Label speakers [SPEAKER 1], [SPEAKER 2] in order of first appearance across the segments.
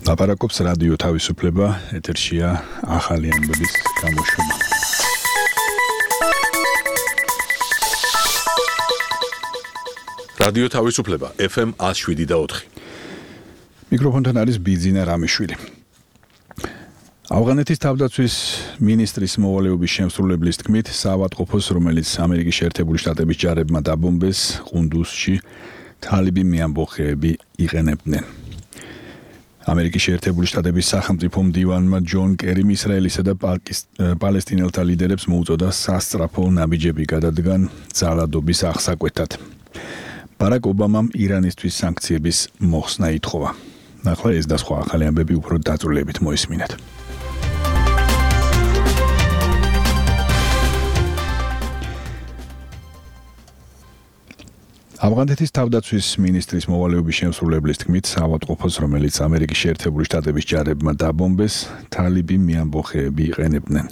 [SPEAKER 1] ლაპარაკობს რადიო თავისუფლება, ეთერშია ახალი ამბების გამოშვება.
[SPEAKER 2] რადიო თავისუფლება FM 107.4.
[SPEAKER 1] მიკროფონთან არის ბიძინა რამიშვილი. ავღანეთის თავდაცვის მინისტრის მოვალეობის შემსრულებლის თქმით, საავადმყოფოს, რომელიც ამერიკის შეერთებული შტატების ჯარებმა დაბომბეს, ყუნდუსში თალიბი მეამბოხეები იყენებდნენ. ამერიკის შეერთებული შტატების სახელმწიფო მდივანმა ჯონ კერიმ ისრაელისა და პალესტინელთა ლიდერებს მოუწოდა სასწრაფო ნაბიჯები გადადგან ძალადობის აღსაკვეთად. ბარაკ ობამამ ირანისთვის სანქციების მოხსნა ითხოვა. ახლა ეს და სხვა ახალი ამბები უფრო დაწვრილებით მოისმინეთ. ავღანეთის თავდაცვის მინისტრის მოვალეობის შემსრულებლის თქმით, საავადმყოფოს, რომელიც ამერიკის შეერთებული შტატების ჯარებმა დაბომბეს, თალიბი მეამბოხეები იყენებდნენ.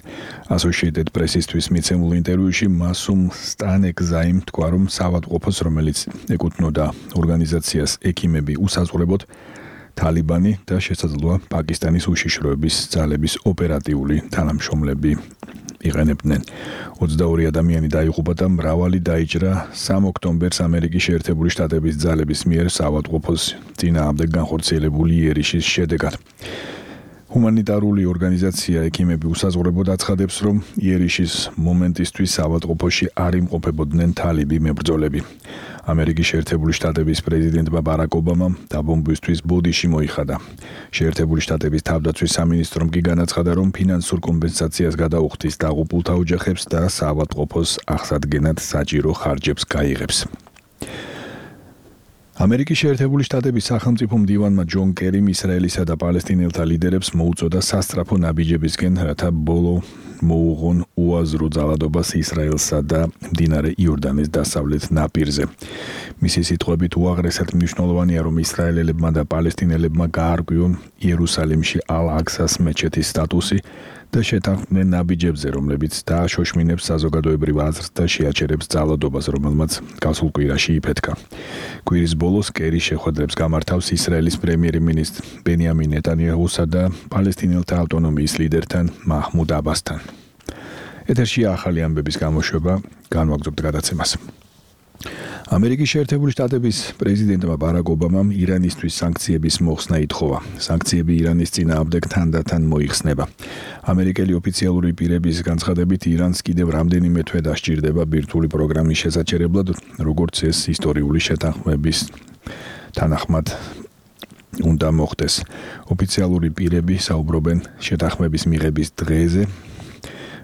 [SPEAKER 1] Associated Press-ისთვის მიცემულ ინტერვიუში მასუმ სტანეკზაიმ თქვა, რომ საავადმყოფოს, რომელიც ეკუთვნოდა ორგანიზაციას ექიმები უსაზღვრებოდ თალიბანი და შესაძლოა პაკისტანის უშიშროების ძალების ოპერატიული თანამშრომლები იყენებდნენ. 22 ადამიანი დაიღუპა და მრავალი დაიჭრა 3 ოქტომბერს ამერიკის შეერთებული შტატების ძალების მიერ საავადმყოფოს წინააღმდეგ განხორციელებული იერიშის შედეგად. ჰუმანიტარული ორგანიზაცია ექიმები უსაზღვრებოდ აცხადებს, რომ იერიშის მომენტისთვის საავადმყოფოში არ იმყოფებოდნენ თალიბი მებრძოლები. ამერიკის შეერთებული შტატების პრეზიდენტმა ბარაკ ობამამ დაბომბვისთვის ბოდიში მოიხადა. შეერთებული შტატების თავდაცვის სამინისტრომ კი განაცხადა, რომ ფინანსურ კომპენსაციას გადაუხდის დაღუპულთა ოჯახებს და საავადმყოფოს აღსადგენად საჭირო ხარჯებს გაიღებს. ამერიკის შეერთებული შტატების სახელმწიფო მდივანმა ჯონ კერიმ ისრაელისა და პალესტინელთა ლიდერებს მოუწოდა სასწრაფო ნაბიჯებისკენ, რათა ბოლო მოუღონ უაზრო ძალადობას ისრაელსა და მდინარე იორდანის დასავლეთ ნაპირზე. მისი სიტყვებით, უაღრესად მნიშვნელოვანია, რომ ისრაელელებმა და პალესტინელებმა გაარკვიონ იერუსალიმში ალ-აქსას მეჩეთის სტატუსი და შეთანხმდნენ ნაბიჯებზე, რომლებიც დააშოშმინებს საზოგადოებრივ აზრს და შეაჩერებს ძალადობას, რომელმაც გასულ კვირაში იფეთქა. კვირის ბოლოს კერი შეხვედრებს გამართავს ისრაელის პრემიერ-მინისტრ ბენიამინ ნეტანიაჰუსა და პალესტინელთა ავტონომიის ლიდერთან მაჰმუდ აბასთან. ეთერშია ახალი ამბების გამოშვება, განვაგრძობთ გადაცემას. ამერიკის შეერთებული შტატების პრეზიდენტმა ბარაკ ობამამ ირანისთვის სანქციების მოხსნა ითხოვა. სანქციები ირანის წინააღმდეგ თანდათან მოიხსნება. ამერიკელი ოფიციალური პირების განცხადებით, ირანს კიდევ რამდენიმე თვე დასჭირდება ბირთვული პროგრამის შესაჩერებლად, როგორც ეს ისტორიული შეთანხმების თანახმად უნდა მოხდეს. ოფიციალური პირები საუბრობენ შეთანხმების მიღების დღეზე,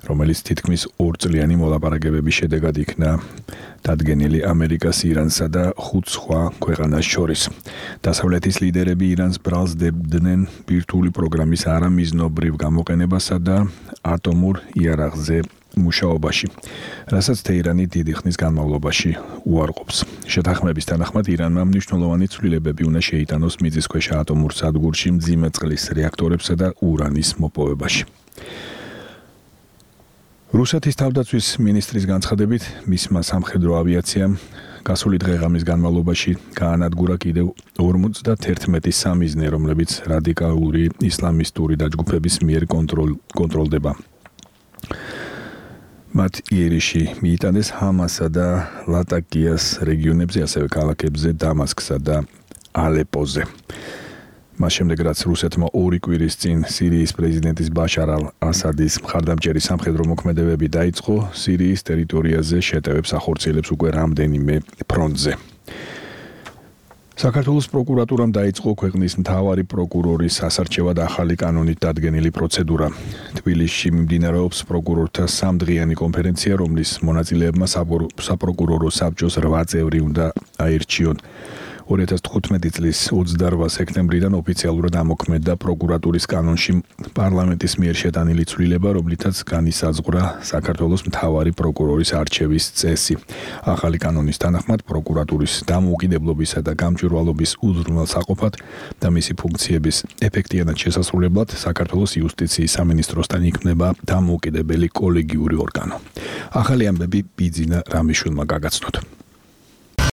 [SPEAKER 1] რომელიც თითქმის 2 წლიანი მოლაპარაკებების შედეგად იქნა დადგენილი ამერიკას, ირანსა და 5 სხვა ქვეყანას შორის. დასავლეთის ლიდერები ირანს ბრალს დებდნენ ბირთვული პროგრამის არამიზნობრივ გამოყენებასა და ატომურ იარაღზე მუშაობაში, რასაც თეირანი დიდი ხნის განმავლობაში უარყოფს. შეთანხმების თანახმად ირანმა მნიშვნელოვანი ცვლილებები უნდა შეიტანოს მიწისქვეშა ატომურ სადგურში მძიმე წყლის რეაქტორებსა და ურანის მოპოვებაში. რუსეთის თავდაცვის მინისტრის განცხადებით, მისმა სამხედრო ავიაციამ გასული დღე-ღამის განმავლობაში გაანადგურა კიდევ 51 სამიზნე, რომლებიც რადიკალური ისლამისტური დაჯგუფების მიერ კონტროლდება. მათ იერიში მიიტანეს ჰამასა და ლატაკიას რეგიონებზე, ასევე ქალაქებზე დამასკსა და ალეპოზე. მას შემდეგ, რაც რუსეთმა 2 კვირის წინ სირიის პრეზიდენტის ბაშარ ალ-ასადის მხარდამჭერი სამხედრო მოქმედებები დაიწყო, სირიის ტერიტორიაზე შეტევებს ახორციელებს უკვე რამდენიმე ფრონტზე. საქართველოს პროკურატურამ დაიწყო ქვეყნის მთავარი პროკურორის ასარჩევად ახალი კანონით დადგენილი პროცედურა. თბილისში მიმდინარეობს პროკურორთა 3დღიანი კონფერენცია, რომლის მონაწილეებმა საპროკურორო საბჭოს 8 წევრი უნდა აირჩიონ. 2015 წლის 28 სექტემბრიდან ოფიციალურად ამოქმედდა პროკურატურის კანონში პარლამენტის მიერ შეტანილი ცვლილება, რომლითაც განისაზღვრა საქართველოს მთავარი პროკურორის არჩევის წესი. ახალი კანონის თანახმად პროკურატურის დამოუკიდებლობისა და გამჭვირვალობის უზრუნველსაყოფად და მისი ფუნქციების ეფექტიანად შესასრულებლად საქართველოს იუსტიციის სამინისტროსთან იქმნება დამოუკიდებელი კოლეგიური ორგანო. ახალი ამბები ბიძინა რამიშვილმა გაგაცნოთ.